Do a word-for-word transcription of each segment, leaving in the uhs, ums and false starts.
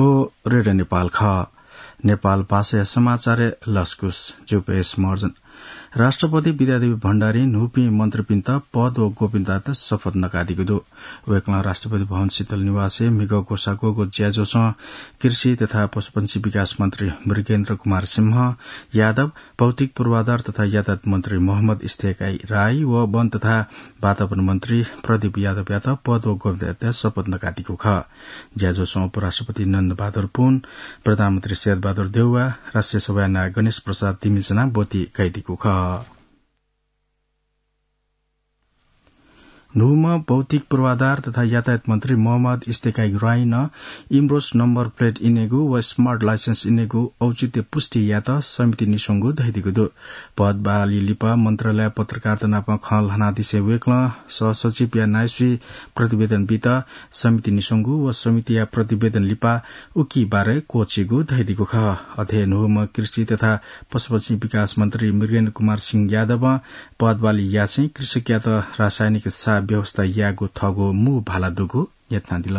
ओ रेडियो नेपाल खः। नेपाल भाषाया समाचारय् लसकुस। ज्यू, पेश मर्जन। राष्ट्रपति विद्यादेवी भण्डारीं न्हूपिं मन्त्रीपिन्त पद व गोपनीयतायात शपथ नकादीगु दु। वय्कलं राष्ट्रपति भवन शीतल निवासय् म्हिगः ग्वसाः ग्वःगु ज्याझ्वलय् कृषि तथा पशुपंक्षी विकास मन्त्री मृगेन्द्र कुमार सिंह यादव, भौतिक पूर्वाधार तथा यातायात मन्त्री मोहम्मद इस्तेकाई राई व वन तथा वातावरण मन्त्री प्रदीप यादवयात पद व गोपनीयतायात शपथ नकादीगु खः। ज्याझ्वलय् उपराष्ट्रपति नन्दबहादुर पुन, प्रधानमन्त्री शेरबहादुर देउवा, राष्ट्रिय सभाया नायः गणेश प्रसाद तिमिल नं ब्वति कयादीगु खः। न्हूम्ह भौतिक पूर्वाधार तथा यातायात मन्त्री मोहम्मद इस्तेकाई राईं इम्रोस नम्बर प्लेट इनेगु व स्मार्ट लाइसेन्स इनेगु औचित्य पुष्टि यायेत समिति निस्वंगु धयादीगु दु। पद बहाली लिपा मन्त्रालयय् पत्रकारत नाप खँ ल्हानादिसें वय्कलं सहसचिवया नायःसुइ प्रतिवेदन बीत समिति निस्वंगु व समितिया प्रतिवेदन लिपा उकी बारे क्वःछिइगु धयादीगु खः। अथे न्हूम्ह कृषि तथा पशुपंक्षी विकास मन्त्री मृगेन्द्र कुमार सिंह यादवं पद बहाली यासें कृषकयात रासायनिक सार व्यवस्था यायेगु थःगु मू भाला दुगु न्ह्यथनादिल।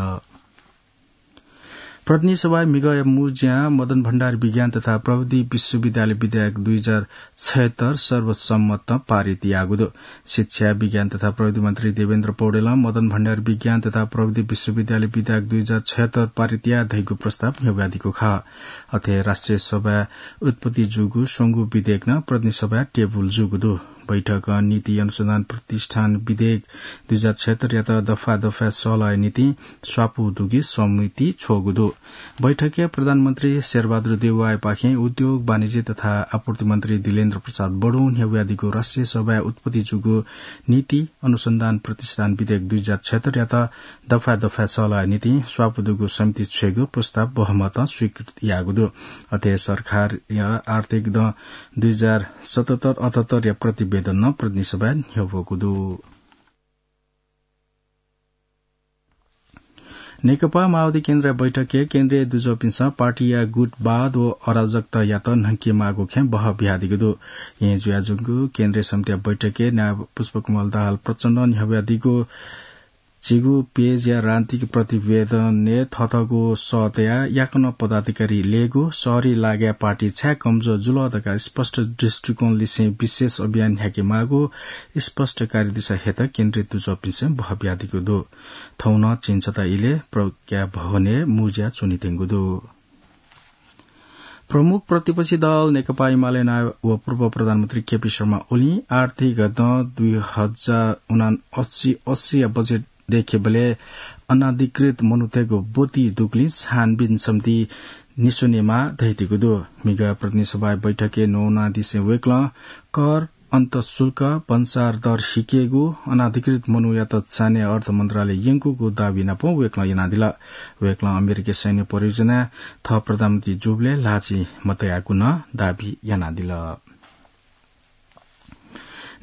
प्रतिनिधि सभाय् म्हिगःया मू ज्यां मदन भण्डारी विज्ञान तथा प्रविधि विश्वविद्यालय विधेयक दुई हजार छयत्तर सर्वसम्मतं पारित याःगु दु। शिक्षा, विज्ञान तथा प्रविधि मन्त्री देवेन्द्र पौडेलं मदन भण्डारी विज्ञान तथा प्रविधि विश्वविद्यालय विधेयक दुई हजार छयत्तर पारित याये धइगु प्रस्ताव न्ह्यब्वयादीगु खः। अथे राष्ट्रिय सभाय् उत्पत्ति जूगु स्वंगू विधेयक नं प्रतिनिधि सभाय् टेबुल जूगु दु। बैठकं नीति अनुसन्धान प्रतिष्ठान विधेयक दुई हजार छयत्तरयात दफा दफाय् सल्लाहया निंतिं स्वापू दुगु समिति छ्वःगु दु। बैठकय् प्रधानमन्त्री शेरबहादुर देउवापाखें उद्योग, वाणिज्य तथा आपूर्ति मन्त्री दिलेन्द्र प्रसाद बडुं न्ह्यब्वयादीगु राष्ट्रिय सभाय् उत्पत्ति जूगु नीति अनुसन्धान प्रतिष्ठान विधेयक दुई हजार छयत्तरयात दफा दफाय् सल्लाहया निंतिं स्वापू दुगु समिति छ्वयेगु प्रस्ताव बहुमतं स्वीकृत याःगु दु। अथे सरकारया आर्थिक दँ दुई हजार सतहत्तर अठहत्तरया प्रतिवेदन नं प्रतिनिधि सभाय् न्ह्यब्वःगु दु। नेकपा माओवादी केन्द्रया बैठकय् केन्द्रीय दुजःपिन्सं पार्टीया गुटवाद व अराजकतायात न्हंकेमाःगु खँय् बहः बियादीगु दु। येँ जुयाच्वंगु केन्द्रीय समितिया बैठकय् नायः पुष्पकमल दाहाल प्रचण्डं न्ह्यब्वयादीगु झीगु पेजया राजनीतिक प्रतिवेदनय् थःथःगु सः तयाः याकनं पदाधिकारी लयेगु, शहरी लागाय् पार्टी छाय् कमजोर जुल धकाः स्पष्ट दृष्टिकोण लिसें विशेष अभियान न्ह्याकेमाःगु स्पष्टकारी दिशा हयेत केन्द्रीय दुजःपिन्सं बहः बियादीगु दु। थौं नं झिंछता इलय् प्रज्ञा भवनय् मू ज्या च्वनेत्यंगु दु। प्रमुख प्रतिपक्षी दल नेकपा एमाले नायः व पूर्व प्रधानमन्त्री केपी शर्मा ओलीं आर्थिक दँ दुई हजार उनासी अस्सीया बजेट देखेबलय् अनाधिकृत मनूतय्गु ब्वति दुगुलिं छानबिन समिति निस्वनेमाः धयादीगु दु। म्हिगः प्रतिनिधि सभाया बैठकय् न्ववानादिसें वय्कलं कर, अन्तःशुल्क, भन्सार दर हिकेगु, अनाधिकृत मनूयात चान्हय् अर्थ मन्त्रालय यंकूगु दाबी नाप वय्कलं यानादिल। वय्कलं अमेरिकी सैन्य परियोजनाय् थः प्रधानमन्त्री जूबलय् ल्हाःचिं मतयागु नं दाबी यानादिल।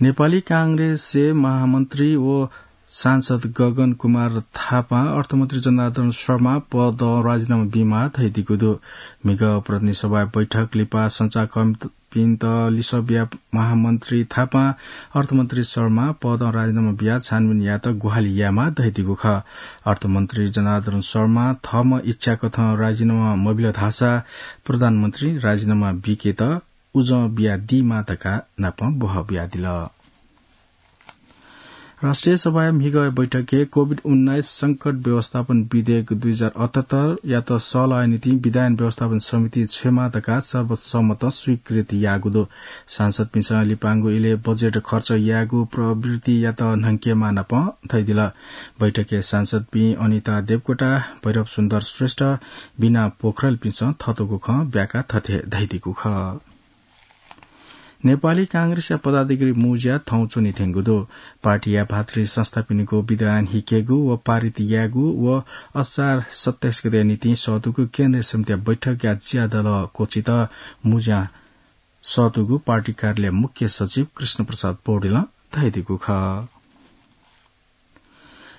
नेपाली कांग्रेसया महामन्त्री व सांसद गगन कुमार थापां अर्थमन्त्री जनार्दन शर्मा पदं राजीनामा बीमाः धयादीगु दु। म्हिगः प्रतिनिधि सभाया बैठक लिपा सञ्चारकर्मीपिन्त लिसः बियाः महामन्त्री थापां अर्थमन्त्री शर्मा पदं राजीनामा बियाः छानबिन यायेत ग्वाहालि यायेमाः धयादीगु खः। अर्थमन्त्री जनार्दन शर्मां थःम्हं इच्छा कथं राजीनामा मबिल धाःसा प्रधानमन्त्रीं राजीनामा बीकेत उजं बियादीमाः धकाः नापं बहः बियादिल। राष्ट्रिय सभाया म्हिगः बैठकय् कोभिड उन्नाइस संकट व्यवस्थापन विधेयक दुई हजार अठहत्तरयात सल्लाहया निंतिं विधायन व्यवस्थापन समिति छ्वयेमाः धकाः सर्वसम्मतं स्वीकृति याःगु दु। सांसदपिन्सं लिपांगु इलय् बजेट खर्च यायेगु प्रवृत्तियात न्हंकेमाः नापं धयादिल। बैठकय् सांसदपिं अनिता देवकोटा, भैरव सुन्दर श्रेष्ठ, बिना पोखरेलपिन्सं थःतःगु खँ ब्याकाः थथे धयादीगु खः। नेपाली कांग्रेसया पदाधिकारी मू ज्या थौं च्वनेत्यंगु दु। पार्टीया भातृ संस्थापिनिगु विधान हिकेगु व पारित यायेगु व असार सत्ताइस गतेया निंतिं सःतूगु केन्द्रीय समितिया बैठकया ज्यादल क्वःछित मू ज्या सःतूगु पार्टी कार्यालय मुख्य सचिव कृष्ण प्रसाद पौडेलं धयादीगु खः।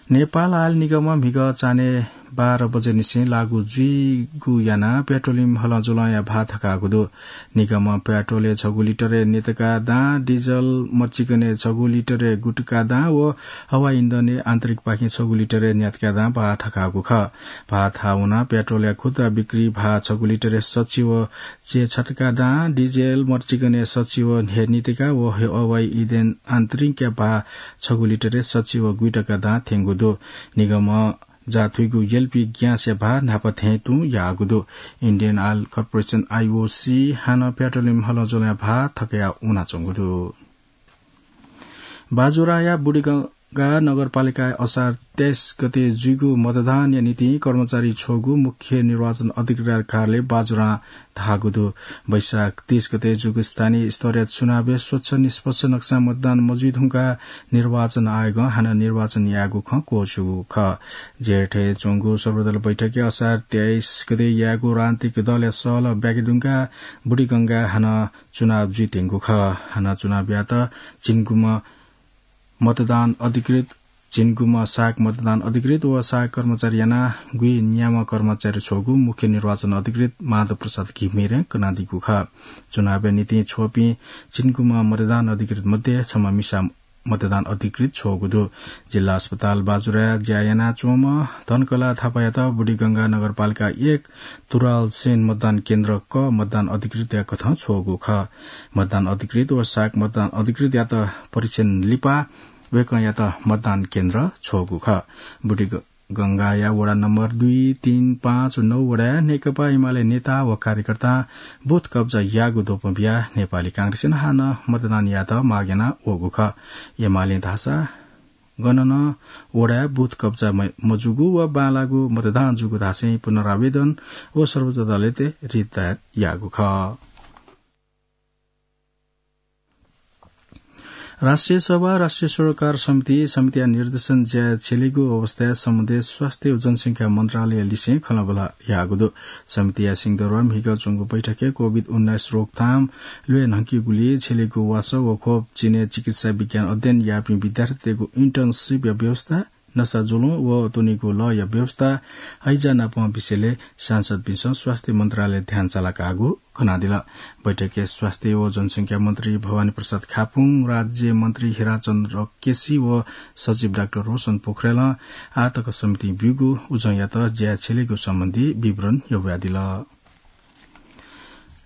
नेपाल आयल निगमं म्हिगः चान्हय् बाह्र बजेनिसें लागू जुइगु यानाः पेट्रोलियम हलंजुलंया भाः थकाःगु दु। निगमं पेट्रोलय् छगू लिटरय् न्यतका दां, डिजल मर्चिकनय् छगू लिटरय् गुटका दां व हवाई इन्धनय् आन्तरिकपाखें छगू लिटरय् न्यतका दां भाः थकाःगु खः। भाः थाहां वनाः पेट्रोलया खुद्रा बिक्री भाः छगू लिटरय् सच्छि व च्यय् छतका दां, डिजल मर्चिकनय् सच्छि व हे न्यतका व हवाई इन्धन आन्तरिकया भाः छगू लिटरय् सच्छि व गुइटका दां थ्यंगु दु। निगमं जाथुइगु एलपी ग्यासया भाः न्हापा थें तुं याःगु दु। Indian Oil Corporation, आईओसी, हानं पेट्रोलियम हलंजुलंया भाः थकया वनाच्वंगु दु। बाजुराया बुढीगंगा नगरपालिकाय् असार तेइस गते जुइगु मतदानया निंतिं कर्मचारी छ्वःगु मुख्य निर्वाचन अधिकृतया कार्यालय बाजुरां धाःगु दु। वैशाख तीस गते जूगु स्थानीय स्तरीय चुनावय् स्वच्छ निष्पक्ष नक्सां मतदान मजुइ धुंकाः निर्वाचन आयोगं हानं निर्वाचन यायेगु खँ क्वःछ्यूगु खः। जेठय् च्वंगु सर्वदल बैठकय् असार तेइस गते यायेगु राजनीतिक दलया सहलह ब्याके धुंकाः बुढीगंगाय् हानं चुनाव जुइत्यंगु खः। हानं चुनावयात झिंगुम्ह मतदान अधिकृत, झिंगुम्ह सहायक मतदान अधिकृत व सहायक कर्मचारी यानाः गुइन्याम्ह कर्मचारी छ्वःगु मुख्य निर्वाचन अधिकृत माधव प्रसाद घिमिरें कनादीगु खः। चुनावया निंतिं छ्वःपिं झिंगुम्ह मतदान अधिकृत मध्ये छम्ह मिसा मतदान अधिकृत छ्वःगु दु। जिल्ला अस्पताल बाजुराय् ज्या यानाच्वंम्ह धनकला थापायात बुढीगंगा नगरपालिका एक तुराल सेन मतदान केन्द्र क मतदान अधिकृतया कथं छ्वःगु खः। मतदान अधिकृत व सहायक मतदान अधिकृतयात परीक्षण लिपा वय्कःयात मतदान केन्द्र छ्वःगु खः। बुढीगंगाया वडा नम्बर दुई, तीन, पाँच व नौ वडाय् नेकपा एमाले नेता व कार्यकर्तां बुथ कब्जा याःगु द्वपं बियाः नेपाली कांग्रेसं हानं मतदान यायेत माग याना वःगु खः। एमालें धाःसा गन नं वडाय् बुथ कब्जा म-, मजूगु व बांलाःगु मतदान जूगु धासें पुनरावेदन व सर्वोच्च अदालतय् रिट दायर याःगु खः। राष्ट्रिय सभा, राष्ट्रिय सरोकार समिति, समितिया निर्देशन ज्याय् छ्यलेगु अवस्थाय् सम्बन्धित स्वास्थ्य व जनसंख्या मन्त्रालय लिसें खँल्हाबल्हा याःगु दु। समितिया सिंहदरबार म्हिगः च्वंगु बैठकय् कोभिड उन्नाइस रोकथाम ल्वय् न्हंकीगुलिइ छ्यलेगु वासः व खोप चिनय् चिकित्सा विज्ञान अध्ययन याःपिं विद्यार्थीतय्गु इन्टर्नसिपया व्यवस्था, नसा जुलुं व त्वनेगु लःया व्यवस्था, हैजा नापं विषयलय् सांसदपिन्सं स्वास्थ्य मन्त्रालय ध्यान चालाकाःगु कनादिल। बैठकय् स्वास्थ्य व जनसंख्या मन्त्री भवानी प्रसाद खापुङ, राज्य मन्त्री हिराचन्द्र केसी व सचिव डाक्टर रोशन पोखरेलं आःतक समितिं ब्यूगु उजंयात ज्याय् छ्यलेगु सम्बन्धी विवरण यंवयादिल।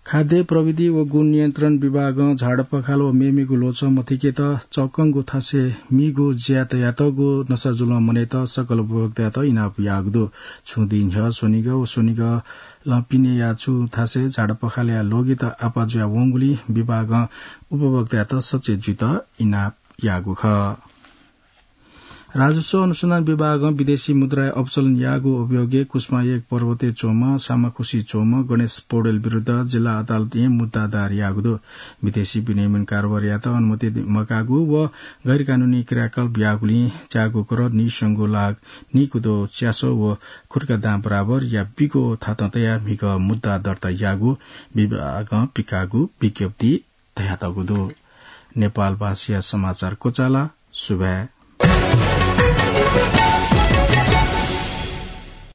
खाद्य प्रविधि व गुणनियन्त्रण विभागं झाडा पखाला व मेमेगु ल्वचं मथुइकेत चक्कंगु थासय् मीगु ज्याय् तयातःगु नसा जुलं मनय्त सकल उपभोक्तायात इनाप याःगु दु। छुं दिं न्ह्यः स्वनिगः व स्वनिगलं पिनेया छु थासय् झाडा पखालाया ल्वगित आपाः जुयावंगुलिं विभागं उपभोक्तायात सचेत जुइत इनाप याःगु खः। राजस्व अनुसन्धान विभागं विदेशी मुद्राया अपचलन याःगु अभियोगय् कुसुमा एक पर्वतय् च्वंम्ह सामाखुसी च्वंम्ह गणेश पौडेल विरुद्ध जिल्ला अदालतय् मुद्दा दायर याःगु दु। विदेशी विनिमय कारोबारयात अनुमति मकाःगु व गैरकानुनी क्रियाकलाप याःगुलिं च्यागू करोड निस्वंगू लाख निकुदो च्यासः व खुट्का दां बराबरया बिक्व थातं तयाः म्हिगः मुद्दा दर्ता याःगु विभागं पिकाःगु विज्ञप्ति धयातःगु दु। नेपाल भाषाया समाचार क्वचाल। सुभाय्।